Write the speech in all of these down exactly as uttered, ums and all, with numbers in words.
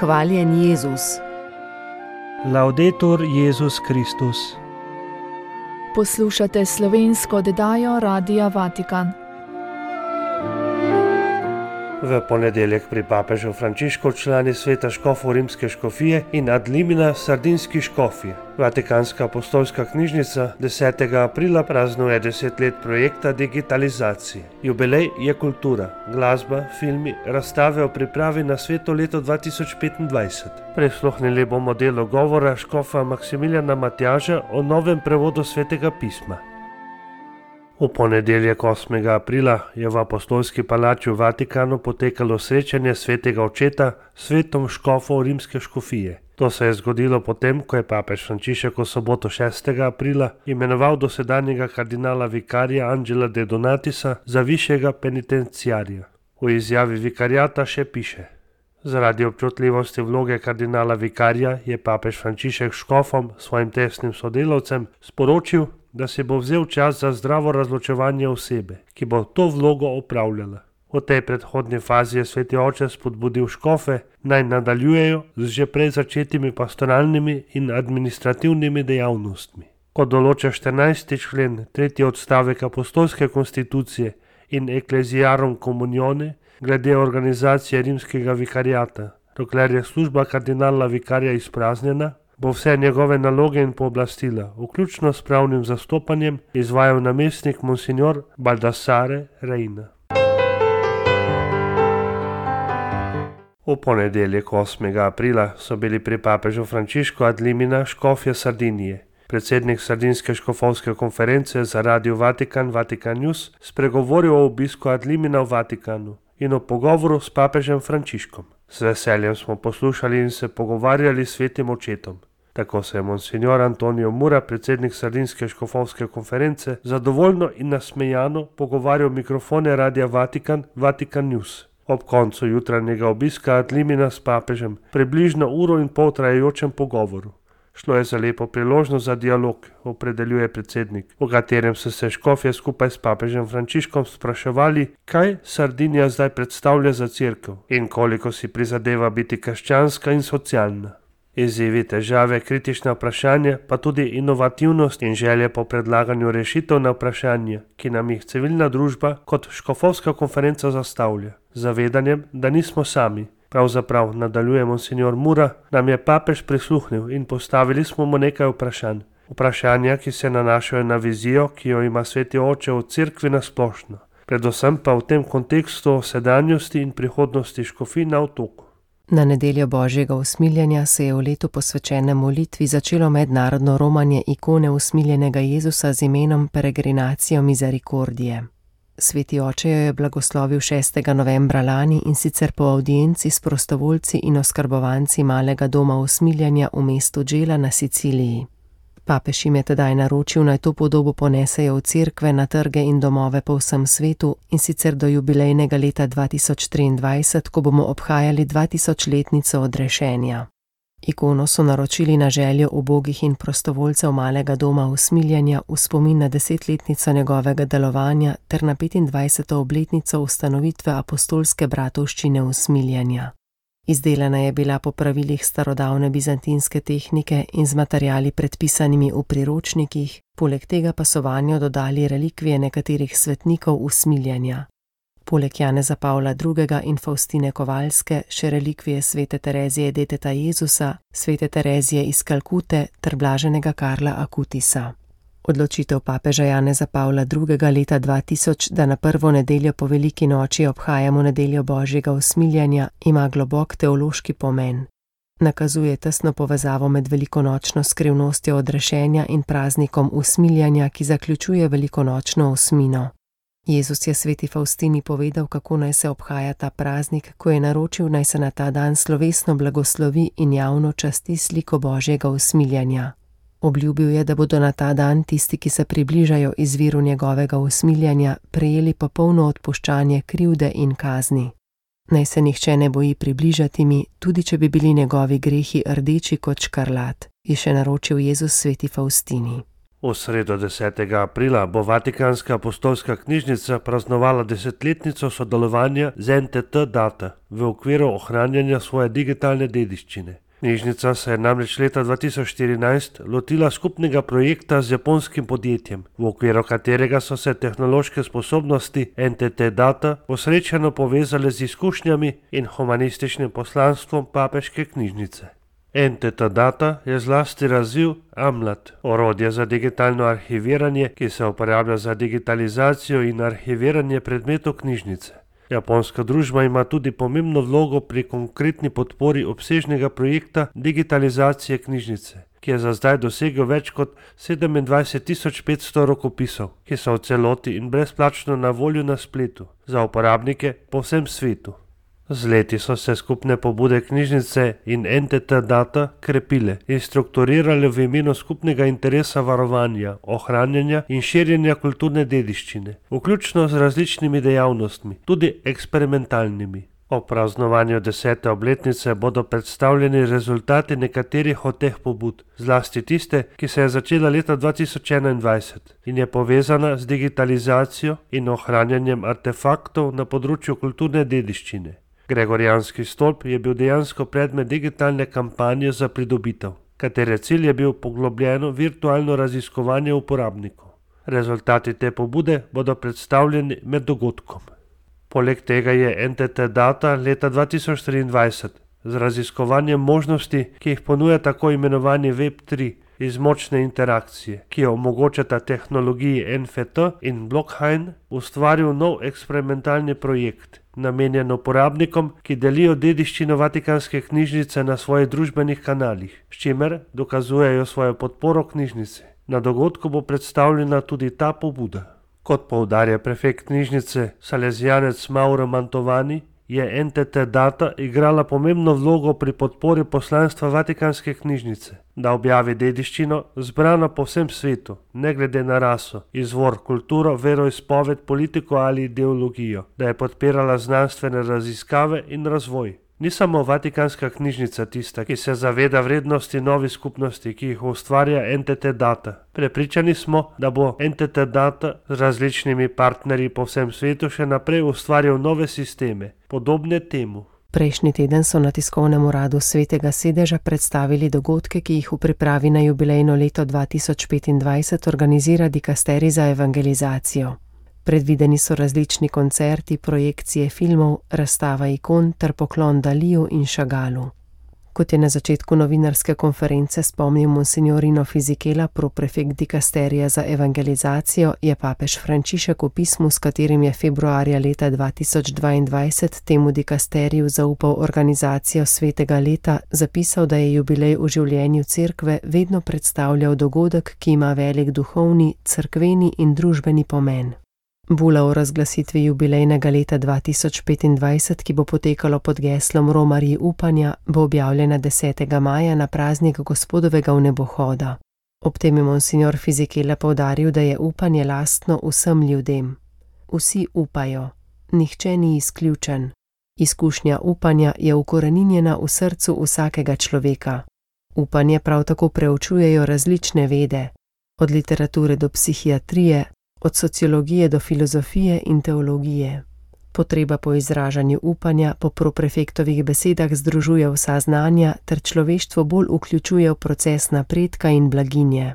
Hvaljen Jezus. Laudetur Jezus Kristus. Poslušate slovensko oddajo Radia Vatikan. V ponedeljek pri papežu Frančišku člani sveta škofov rimske škofije in ad limina sardinski škofije. Vatikanska apostolska knjižnica desetega aprila praznuje deset let projekta digitalizacije. Jubilej je kultura, glasba, filmi, razstave o pripravi na sveto leto dva tisoč petindvajset. Prisluhnili bomo delu govora škofa Maksimiljana Matjaža o novem prevodu svetega pisma. V ponedeljek osmega aprila je v apostolski palači v Vatikanu potekalo srečanje svetega očeta s svetom škofov rimske škofije. To se je zgodilo potem, ko je papež Frančišek v soboto šestega aprila imenoval dosedanjega kardinala vikarija Angela de Donatisa za višjega penitenciarja. V izjavi vikariata še piše: Zaradi občutljivosti vloge kardinala vikarija je papež Frančišek škofom, svojim tesnim sodelavcem, sporočil, da si bo vzel čas za zdravo razločevanje osebe, ki bo to vlogo opravljala. V tej predhodni fazi je sveti oče spodbudil škofe, naj nadaljujejo z že prej začetimi pastoralnimi in administrativnimi dejavnostmi. Kot določa štirinajsti člen, tretji odstavek apostolske konstitucije in Ecclesiarum Communione, glede organizacije rimskega vikariata, dokler je služba kardinala vikarja izpraznjena, bo vse njegove naloge in pooblastila, vključno s pravnim zastopanjem, izvajal namestnik monsignor Baldassare Reina. V ponedeljek osmega aprila so bili pri papežu Frančišku ad limina škofje Sardinije. Predsednik Sardinske škofovske konference za Radio Vatikan Vatikan News spregovoril o obisku ad limina v Vatikanu in o pogovoru s papežem Frančiškom. S veseljem smo poslušali in se pogovarjali s svetim očetom. Tako se je monsignor Antonio Mura, predsednik Sardinske škofovske konference, zadovoljno in nasmejano pogovarjal mikrofone Radia Vatikan Vatikan News. Ob koncu jutranjega obiska ad limina s papežem, približno uro in pol trajajočem pogovoru. Šlo je za lepo priložnost za dialog, opredeljuje predsednik, v katerem so se škofje skupaj s papežem Frančiškom spraševali, kaj Sardinija zdaj predstavlja za cerkev in koliko si prizadeva biti krščanska in socialna. Izzivi, težave, kritična vprašanja, pa tudi inovativnost in želje po predlaganju rešitev na vprašanja, ki nam jih civilna družba kot škofovska konferenca zastavlja, z zavedanjem, da nismo sami. Pravzaprav, nadaljuje monsignor Mura, nam je papež prisluhnil in postavili smo mu nekaj vprašanj. Vprašanja, ki se nanašajo na vizijo, ki jo ima sveti oče v cerkvi nasplošno, predvsem pa v tem kontekstu o sedanjosti in prihodnosti škofij na otoku. Na nedeljo Božjega usmiljenja se je v letu posvečenem molitvi začelo mednarodno romanje ikone usmiljenega Jezusa z imenom Peregrinacio Misericordie. Sveti oče jo je blagoslovil šestega novembra lani in sicer po avdienci s prostovoljci in oskrbovanci malega doma usmiljenja v mestu Gela na Siciliji. Papež jim je tedaj naročil, naj to podobo ponesejo v cerkve, na trge in domove po vsem svetu, in sicer do jubilejnega leta dva tisoč triindvajset, ko bomo obhajali dvatisočletnico odrešenja. Ikono so naročili na željo ubogih in prostovoljcev malega doma usmiljenja v spomin na desetletnico njegovega delovanja ter na petindvajseto obletnico ustanovitve apostolske bratovščine usmiljenja. Izdelana je bila po pravilih starodavne bizantinske tehnike in z materiali predpisanimi v priročnikih, poleg tega pa so vanjo dodali relikvije nekaterih svetnikov usmiljenja. Poleg Janeza Pavla drugega in Faustine Kovalske še relikvije svete Terezije deteta Jezusa, svete Terezije iz Kalkute ter blaženega Karla Akutisa. Odločitev papeža Janeza Pavla drugega leta dva tisoč, da na prvo nedeljo po veliki noči obhajamo nedeljo Božjega usmiljenja, ima globok teološki pomen. Nakazuje tesno povezavo med velikonočno skrivnostjo odrešenja in praznikom usmiljenja, ki zaključuje velikonočno osmino. Jezus je sveti Faustini povedal, kako naj se obhaja ta praznik, ko je naročil, naj se na ta dan slovesno blagoslovi in javno časti sliko Božjega usmiljenja. Obljubil je, da bodo na ta dan tisti, ki se približajo izviru njegovega usmiljenja, prejeli popolno odpuščanje krivde in kazni. Naj se nihče ne boji približati mi, tudi če bi bili njegovi grehi rdeči kot škarlat, je še naročil Jezus sveti Faustini. V sredo desetega aprila bo Vatikanska apostolska knjižnica praznovala desetletnico sodelovanja z en te te Data v okviru ohranjanja svoje digitalne dediščine. Knjižnica se je namreč leta dva tisoč štirinajst lotila skupnega projekta z japonskim podjetjem, v okviru katerega so se tehnološke sposobnosti en te te Data posrečeno povezale z izkušnjami in humanističnim poslanstvom papeške knjižnice. en te te Data je zlasti razvil Amlat, orodje za digitalno arhiviranje, ki se uporablja za digitalizacijo in arhiviranje predmetov knjižnice. Japonska družba ima tudi pomembno vlogo pri konkretni podpori obsežnega projekta digitalizacije knjižnice, ki je za zdaj dosegel več kot sedemindvajset tisoč petsto rokopisov, ki so v celoti in brezplačno na voljo na spletu za uporabnike po vsem svetu. Z leti so se skupne pobude knjižnice in en te te Data krepile in strukturirale v imenu skupnega interesa varovanja, ohranjanja in širjenja kulturne dediščine, vključno z različnimi dejavnostmi, tudi eksperimentalnimi. Ob praznovanju desete obletnice bodo predstavljeni rezultati nekaterih od teh pobud, zlasti tiste, ki se je začela leta dva tisoč enaindvajset in je povezana z digitalizacijo in ohranjanjem artefaktov na področju kulturne dediščine. Gregorijanski stolp je bil dejansko predmet digitalne kampanje za pridobitev, katere cilj je bil poglobljeno virtualno raziskovanje uporabnikov. Rezultati te pobude bodo predstavljeni med dogodkom. Poleg tega je en te te Data leta dva tisoč triindvajset z raziskovanjem možnosti, ki jih ponuja tako imenovani web tri, iz močne interakcije, ki jo omogočata tehnologiji en ef te in Blockhain, ustvaril nov eksperimentalni projekt, namenjen uporabnikom, ki delijo dediščino Vatikanske knjižnice na svojih družbenih kanalih, s čimer dokazujejo svojo podporo knjižnici. Na dogodku bo predstavljena tudi ta pobuda. Kot poudarja prefekt knjižnice salezijanec Mauro Mantovani, je en te te Data igrala pomembno vlogo pri podpori poslanstva Vatikanske knjižnice, da objavi dediščino zbrano po vsem svetu, ne glede na raso, izvor, kulturo, veroizpoved, politiko ali ideologijo, da je podpirala znanstvene raziskave in razvoj. Ni samo Vatikanska knjižnica tista, ki se zaveda vrednosti novih skupnosti, ki jih ustvarja en te te Data. Prepričani smo, da bo en te te Data z različnimi partnerji po vsem svetu še naprej ustvarjal nove sisteme, podobne temu. Prejšnji teden so na tiskovnem uradu Svetega sedeža predstavili dogodke, ki jih v pripravi na jubilejno leto dva tisoč petindvajset organizira dikasterij za evangelizacijo. Predvideni so različni koncerti, projekcije filmov, razstava ikon ter poklon Daliju in Chagalu. Kot je na začetku novinarske konference spomnil monsignorino Fisichella, proprefekt dikasterija za evangelizacijo, je papež Frančišek v pismu, s katerim je februarja leta dva tisoč dvaindvajset temu dikasteriju zaupal organizacijo svetega leta, zapisal, da je jubilej v življenju cerkve vedno predstavljal dogodek, ki ima velik duhovni, cerkveni in družbeni pomen. Bula o razglasitvi jubilejnega leta dva tisoč petindvajset, ki bo potekalo pod geslom Romarji upanja, bo objavljena desetega maja na praznik Gospodovega vnebohoda. Ob tem je monsignor Fisichella poudaril, da je upanje lastno vsem ljudem. Vsi upajo, nihče ni izključen. Izkušnja upanja je ukoreninjena v srcu vsakega človeka. Upanje prav tako preučujejo različne vede, od literature do psihiatrije, od sociologije do filozofije in teologije. Potreba po izražanju upanja po proprefektovih besedah združuje vsa znanja ter človeštvo bolj vključuje v proces napredka in blaginje.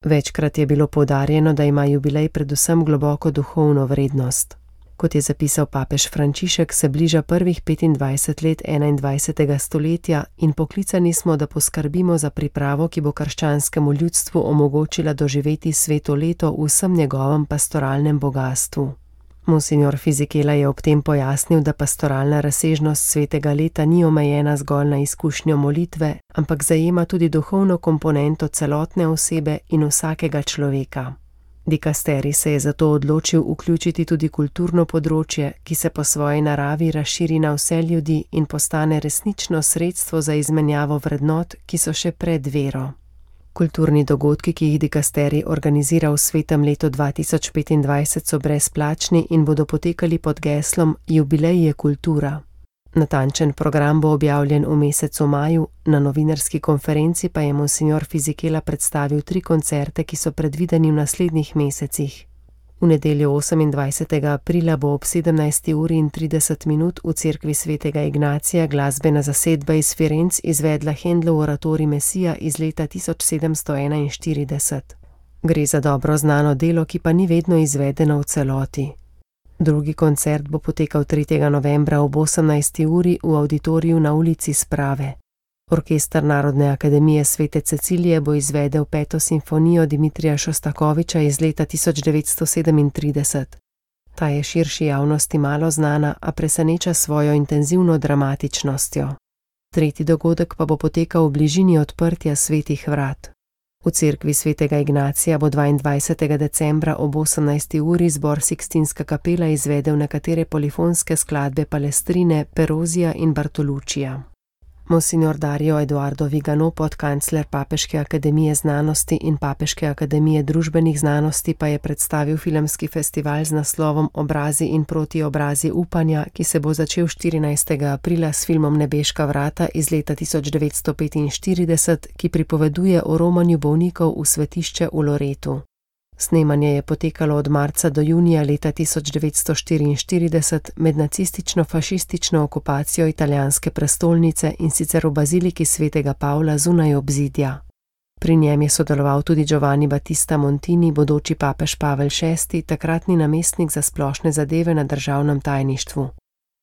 Večkrat je bilo poudarjeno, da ima jubilej predvsem globoko duhovno vrednost. Kot je zapisal papež Frančišek, se bliža prvih petindvajset let enaindvajsetega stoletja in poklicani smo, da poskrbimo za pripravo, ki bo krščanskemu ljudstvu omogočila doživeti sveto leto v vsem njegovem pastoralnem bogastvu. Monsignor Fisichella je ob tem pojasnil, da pastoralna razsežnost svetega leta ni omejena zgolj na izkušnjo molitve, ampak zajema tudi duhovno komponento celotne osebe in vsakega človeka. Dikasterij se je zato odločil vključiti tudi kulturno področje, ki se po svoji naravi razširi na vse ljudi in postane resnično sredstvo za izmenjavo vrednot, ki so še pred vero. Kulturni dogodki, ki jih dikasterij organizira v svetem letu dva tisoč petindvajset, so brezplačni in bodo potekali pod geslom Jubilej je kultura. Natančen program bo objavljen v mesecu maju, na novinarski konferenci pa je monsignor Fizikela predstavil tri koncerte, ki so predvideni v naslednjih mesecih. V nedeljo osemindvajsetega aprila bo ob sedemnajsti uri in trideset minut v cerkvi svetega Ignacija glasbena zasedba iz Firenc izvedla Händlov oratorij Mesija iz leta tisoč sedemsto enainštirideset. Gre za dobro znano delo, ki pa ni vedno izvedeno v celoti. Drugi koncert bo potekal tretjega novembra ob osemnajsti uri v avditoriju na ulici Sprave. Orkester Narodne akademije Svete Cecilije bo izvedel peto simfonijo Dimitrija Šostakoviča iz leta tisoč devetsto sedemintrideset. Ta je širši javnosti malo znana, a preseneča svojo intenzivno dramatičnostjo. Tretji dogodek pa bo potekal v bližini odprtja svetih vrat. V cerkvi svetega Ignacija bo dvaindvajsetega decembra ob osemnajsti uri zbor Sikstinska kapela izvedel nekatere polifonske skladbe Palestrine, Perozija in Bartolučija. Monsignor Dario Eduardo Vigano, podkancler Papeške akademije znanosti in Papeške akademije družbenih znanosti, pa je predstavil filmski festival z naslovom Obrazi in protiobrazi upanja, ki se bo začel štirinajstega aprila s filmom Nebeška vrata iz leta tisoč devetsto petinštirideset, ki pripoveduje o romanju bolnikov v svetišče v Loretu. Snemanje je potekalo od marca do junija leta tisoč devetsto štiriinštirideset med nacistično-fašistično okupacijo italijanske prestolnice in sicer v baziliki svetega Pavla zunaj obzidja. Pri njem je sodeloval tudi Giovanni Battista Montini, bodoči papež Pavel šesti, takratni namestnik za splošne zadeve na državnem tajništvu.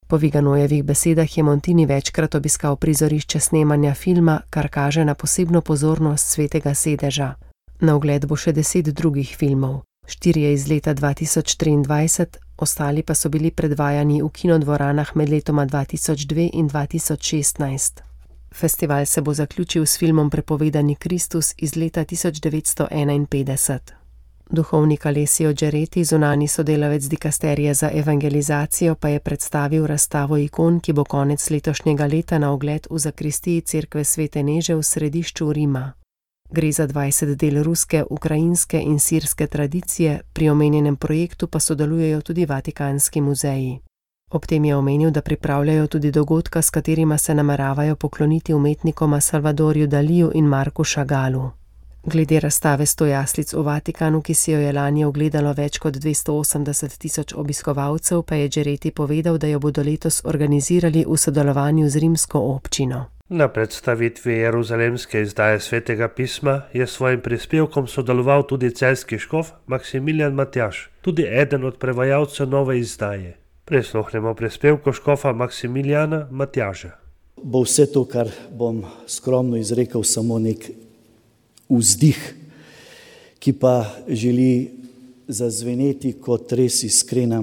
Po Viganojevih besedah je Montini večkrat obiskal prizorišče snemanja filma, kar kaže na posebno pozornost svetega sedeža. Na ogled bo še deset drugih filmov, štirje iz leta dva tisoč triindvajset, ostali pa so bili predvajani v kinodvoranah med letoma dva tisoč dve in dva tisoč šestnajst. Festival se bo zaključil s filmom Prepovedani Kristus iz leta tisoč devetsto enainpetdeset. Duhovnik Alessio Gereti, zunanji sodelavec dikasterije za evangelizacijo, pa je predstavil razstavo ikon, ki bo konec letošnjega leta na ogled v zakristiji cerkve Svete Neže v središču Rima. Gre za dvajset del ruske, ukrajinske in sirske tradicije, pri omenjenem projektu pa sodelujejo tudi Vatikanski muzeji. Ob tem je omenil, da pripravljajo tudi dogodka, s katerima se nameravajo pokloniti umetnikoma Salvadorju Daliju in Marku Chagalu. Glede razstave sto jaslic v Vatikanu, ki si jo je lani ogledalo več kot dvesto osemdeset tisoč obiskovalcev, pa je Gereti povedal, da jo bodo letos organizirali v sodelovanju z rimsko občino. Na predstavitvi jeruzalemske izdaje Svetega pisma je s svojim prispevkom sodeloval tudi celjski škof Maksimilijan Matjaž, tudi eden od prevajalcev nove izdaje. Prisluhnemo prispevku škofa Maksimilijana Matjaža. Bo vse to, kar bom skromno izrekel, samo nek vzdih, ki pa želi zazveneti kot res iskrena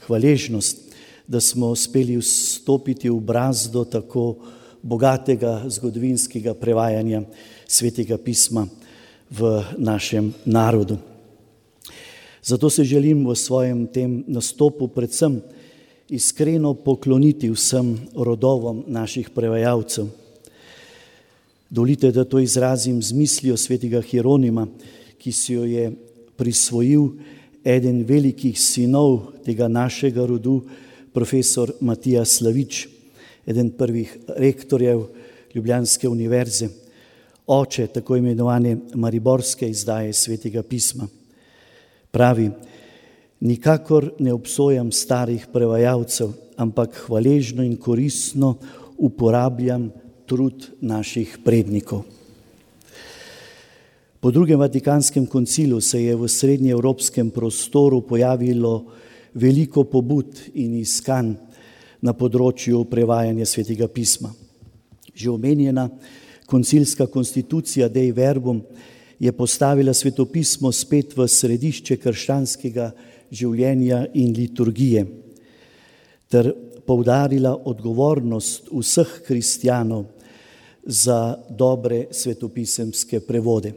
hvaležnost, da smo uspeli vstopiti v brazdo tako bogatega zgodovinskega prevajanja Svetega pisma v našem narodu. Zato se želim v svojem tem nastopu predvsem iskreno pokloniti vsem rodovom naših prevajalcev. Dovolite, da to izrazim z mislijo svetega Hieronima, ki si jo je prisvojil eden velikih sinov tega našega rodu, profesor Matija Slavič, eden prvih rektorjev Ljubljanske univerze, oče tako imenovane mariborske izdaje Svetega pisma. Pravi: nikakor ne obsojam starih prevajalcev, ampak hvaležno in koristno uporabljam trud naših prednikov. Po drugem Vatikanskem koncilu se je v srednjeevropskem prostoru pojavilo veliko pobud in iskanj na področju prevajanja Svetega pisma. Že omenjena koncilska konstitucija Dei Verbum je postavila svetopismo spet v središče krščanskega življenja in liturgije ter poudarila odgovornost vseh kristjanov za dobre svetopisemske prevode.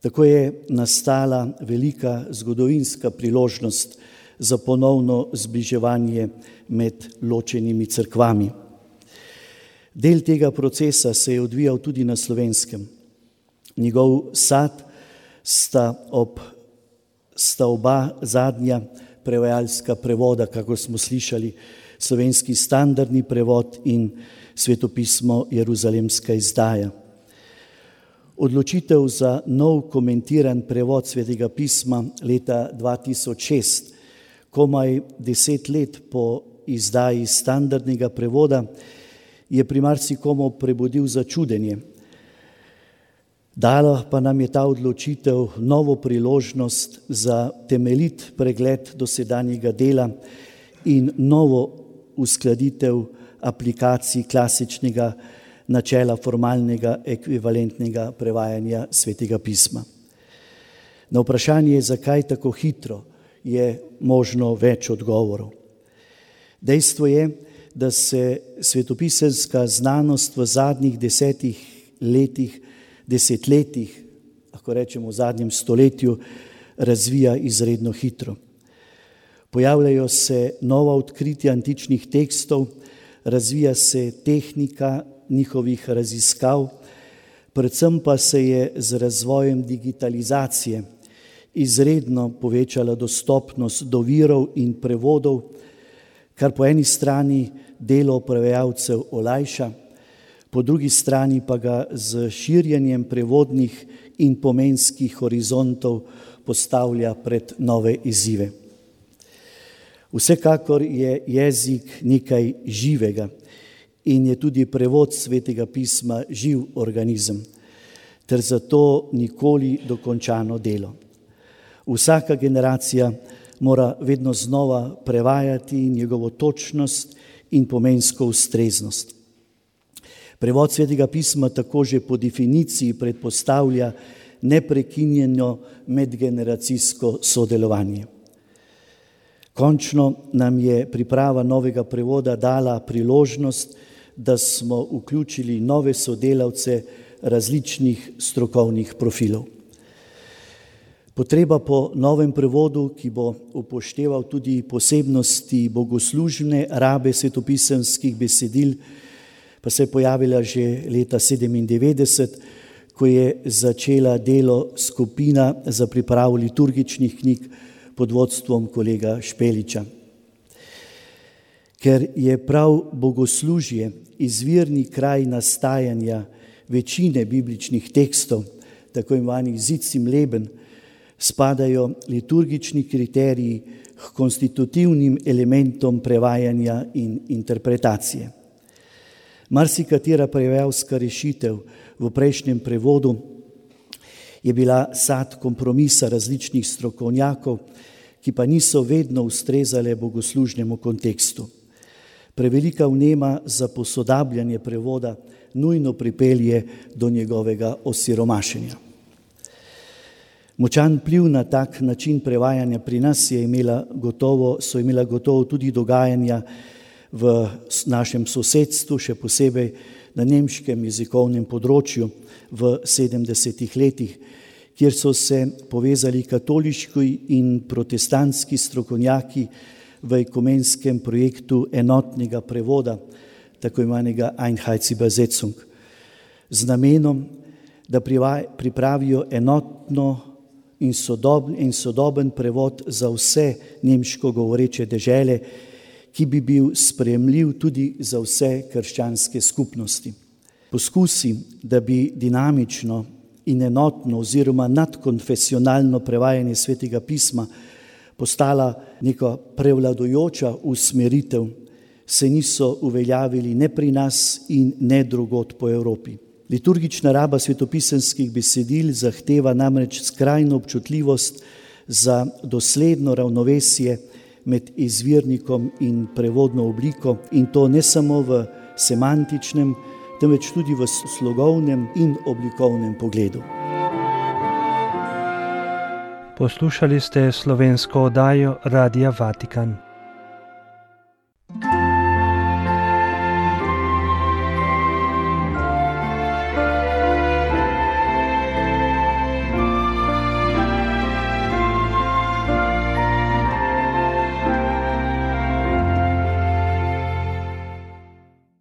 Tako je nastala velika zgodovinska priložnost za ponovno zbliževanje med ločenimi cerkvami. Del tega procesa se je odvijal tudi na Slovenskem. Njegov sad sta, ob, sta oba zadnja prevajalska prevoda, kako smo slišali, slovenski standardni prevod in svetopismo Jeruzalemska izdaja. Odločitev za nov komentiran prevod Svetega pisma leta dva tisoč šest, komaj deset let po izdaji standardnega prevoda, je pri marsikomu prebudil začudenje. Dala pa nam je ta odločitev novo priložnost za temeljit pregled dosedanjega dela in novo uskladitev aplikacij klasičnega načela formalnega ekvivalentnega prevajanja Svetega pisma. Na vprašanje, zakaj tako hitro, je možno več odgovorov. Dejstvo je, da se svetopisemska znanost v zadnjih desetih letih, desetletjih, lahko rečemo v zadnjem stoletju, razvija izredno hitro. Pojavljajo se nova odkritja antičnih tekstov, razvija se tehnika njihovih raziskav, predvsem pa se je z razvojem digitalizacije izredno povečala dostopnost do virov in prevodov, kar po eni strani delo prevajalcev olajša, po drugi strani pa ga z širjenjem prevodnih in pomenskih horizontov postavlja pred nove izzive. Vsekakor je jezik nekaj živega in je tudi prevod Svetega pisma živ organizem, ter zato nikoli dokončano delo. Vsaka generacija mora vedno znova prevajati njegovo točnost in pomensko ustreznost. Prevod Svetega pisma tako že po definiciji predpostavlja neprekinjeno medgeneracijsko sodelovanje. Končno nam je priprava novega prevoda dala priložnost, da smo vključili nove sodelavce različnih strokovnih profilov. Potreba po novem prevodu, ki bo upošteval tudi posebnosti bogoslužne rabe svetopisemskih besedil, pa se je pojavila že leta sedemindevetdeset, ko je začela delo skupina za pripravo liturgičnih knjig pod vodstvom kolega Špeliča. Ker je prav bogoslužje izvirni kraj nastajanja večine bibličnih tekstov, tako imenovanih Sitsim Leben, spadajo liturgični kriteriji k konstitutivnim elementom prevajanja in interpretacije. Marsikatera prevajalska rešitev v prejšnjem prevodu je bila sad kompromisa različnih strokovnjakov, ki pa niso vedno ustrezale bogoslužnemu kontekstu. Prevelika vnema za posodabljanje prevoda nujno pripelje do njegovega osiromašenja. Močan vpliv na tak način prevajanja pri nas je imela gotovo, so imela gotovo tudi dogajanja v našem sosedstvu, še posebej na nemškem jezikovnem področju v sedemdesetih letih, kjer so se povezali katoliški in protestantski strokovnjaki v ekumenskem projektu enotnega prevoda, tako imenovanega Einheitsübersetzung, z namenom, da pripravijo enotno in sodoben, in sodoben prevod za vse nemško govoreče dežele, ki bi bil sprejemljiv tudi za vse krščanske skupnosti. Poskusi, da bi dinamično in enotno oziroma nadkonfesionalno prevajanje Svetega pisma postala neka prevladujoča usmeritev, se niso uveljavili ne pri nas in ne drugod po Evropi. Liturgična raba svetopisemskih besedil zahteva namreč skrajno občutljivost za dosledno ravnovesje med izvirnikom in prevodno obliko, in to ne samo v semantičnem, temveč tudi v slogovnem in oblikovnem pogledu. Poslušali ste slovensko oddajo Radia Vatikan.